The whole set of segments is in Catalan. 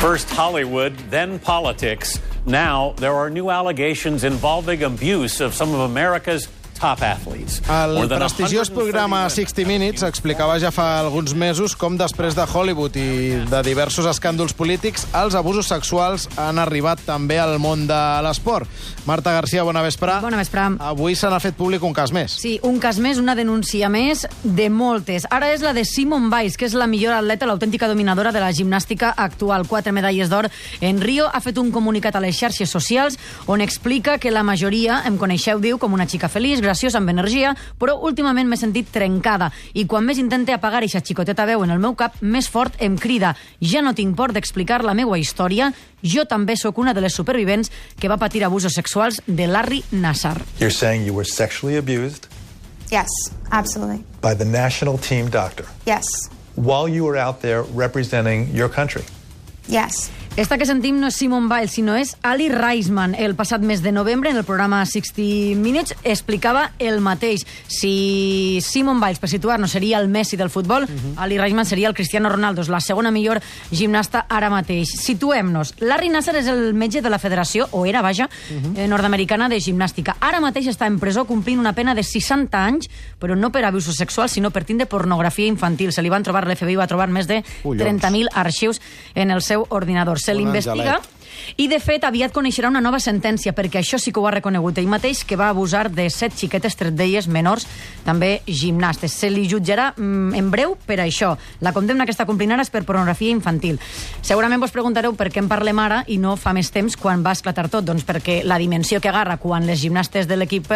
First Hollywood, then politics. Now there are new allegations involving abuse of some of America's top athletes. El prestigiós programa 60 Minutes explicava ja fa alguns mesos com després de Hollywood i de diversos escàndols polítics, els abusos sexuals han arribat també al món de l'esport. Marta Garcia, bona vespre. Bona vespre. Avui se n'ha fet públic un cas més. Sí, un cas més, una denúncia més de moltes. Ara és la de Simone Biles, que és la millor atleta, l'autèntica dominadora de la gimnàstica actual. 4 medalles d'or en Rio. Ha fet un comunicat a les xarxes socials on explica que la majoria em coneixeu, diu, com una xica feliç, graciosa, amb energia, però últimament m'he sentit trencada i quan més intente apagar eixa xicoteta veu en el meu cap, més fort em crida. Ja no tinc por d'explicar la meua història. Jo també sóc una de les supervivents que va patir abusos sexuals de Larry Nassar. You're saying you were sexually abused? Yes, absolutely. By the national team doctor? Yes. While you were out there representing your country? Yes. Esta que sentim no és Simone Biles, sinó és Ali Raisman. El passat mes de novembre, en el programa 60 Minutes, explicava el mateix. Si Simone Biles, per situar-nos, seria el Messi del futbol, Ali Raisman seria el Cristiano Ronaldo, la segona millor gimnasta ara mateix. Situem-nos. Larry Nassar és el metge de la federació, o era, vaja, nord-americana de gimnàstica. Ara mateix està en presó complint una pena de 60 anys, però no per abusos sexuals, sinó per tindre pornografia infantil. Se li van trobar, l'FBI va trobar més de 30.000 arxius en el seu ordinador. Se l'investiga i, de fet, aviat coneixerà una nova sentència, perquè això sí que ho ha reconegut ell mateix, que va abusar de 7 xiquetes, 3 d'elles menors, també gimnastes. Se li jutjarà en breu per això. La condemna que està complint ara és per pornografia infantil. Segurament vos preguntareu per què en parlem ara i no fa més temps quan va esclatar tot. Doncs perquè la dimensió que agarra quan les gimnastes de l'equip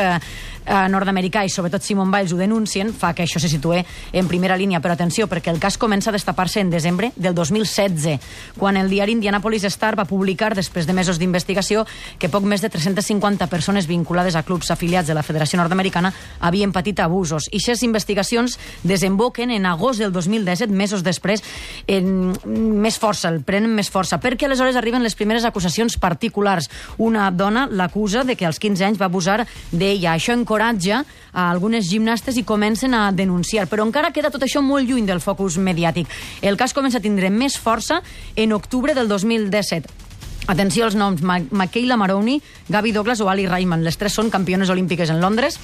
nord-americà i sobretot Simone Biles ho denuncien fa que això se situe en primera línia. Però atenció, perquè el cas comença a destapar-se en desembre del 2016, quan el diari Indianapolis Star va publicar, després de mesos d'investigació, que poc més de 350 persones vinculades a clubs afiliats de la Federació Nord-Americana havien patit abusos. I aquestes investigacions desemboquen en agost del 2017, mesos després, en més força, el prenen més força, perquè aleshores arriben les primeres acusacions particulars. Una dona l'acusa de que als 15 anys va abusar d'ella. Això encoratja a algunes gimnastes i comencen a denunciar, però encara queda tot això molt lluny del focus mediàtic. El cas comença a tindre més força en octubre del 2017. Atenció als noms: Michaela Maroney, Gabby Douglas o Ali Raisman. Les tres són campiones olímpiques en Londres,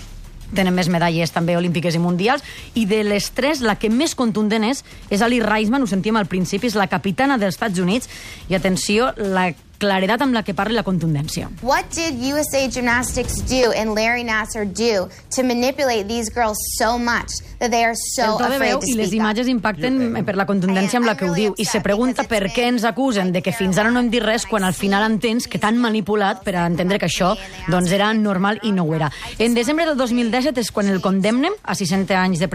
tenen més medalles també olímpiques i mundials, i de les tres la que més contundent és Ali Raisman, ho sentíem al principi, és la capitana dels Estats Units, i atenció, la claredat amb la que parla i la contundència. What did USA Gymnastics do and Larry Nassar do to manipulate these girls so much that they are so afraid to I les speak up? imatges impacten per la contundència amb la que ho diu, i se pregunta per què ens acusen de que fins ara no hem dit res quan al final entens que t'han manipulat per a entendre que això doncs era normal i no ho era. En desembre del 2017 és quan el condemnen a 60 anys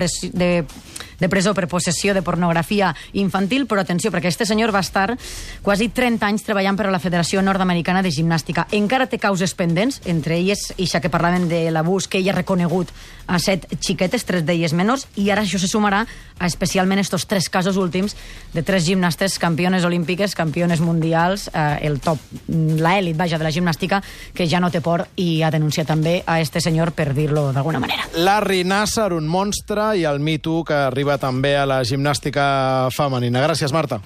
de presó per possessió de pornografia infantil, però atenció, perquè este senyor va estar quasi 30 anys treballant per a la Federació Nord-Americana de Gimnàstica. Encara té causes pendents, entre elles, ixa que parlaven de l'abús que ella ha reconegut a 7 xiquetes, 3 d'elles menors, i ara això se sumarà a especialment estos 3 casos últims de 3 gimnastes campiones olímpiques, campiones mundials, el top, l'elit, vaja, de la gimnàstica, que ja no té por i ha denunciat també a este senyor, per dir-lo d'alguna manera. Larry Nassar, un monstre, i el Me Too que arriba també a la gimnàstica femenina. Gràcies, Marta.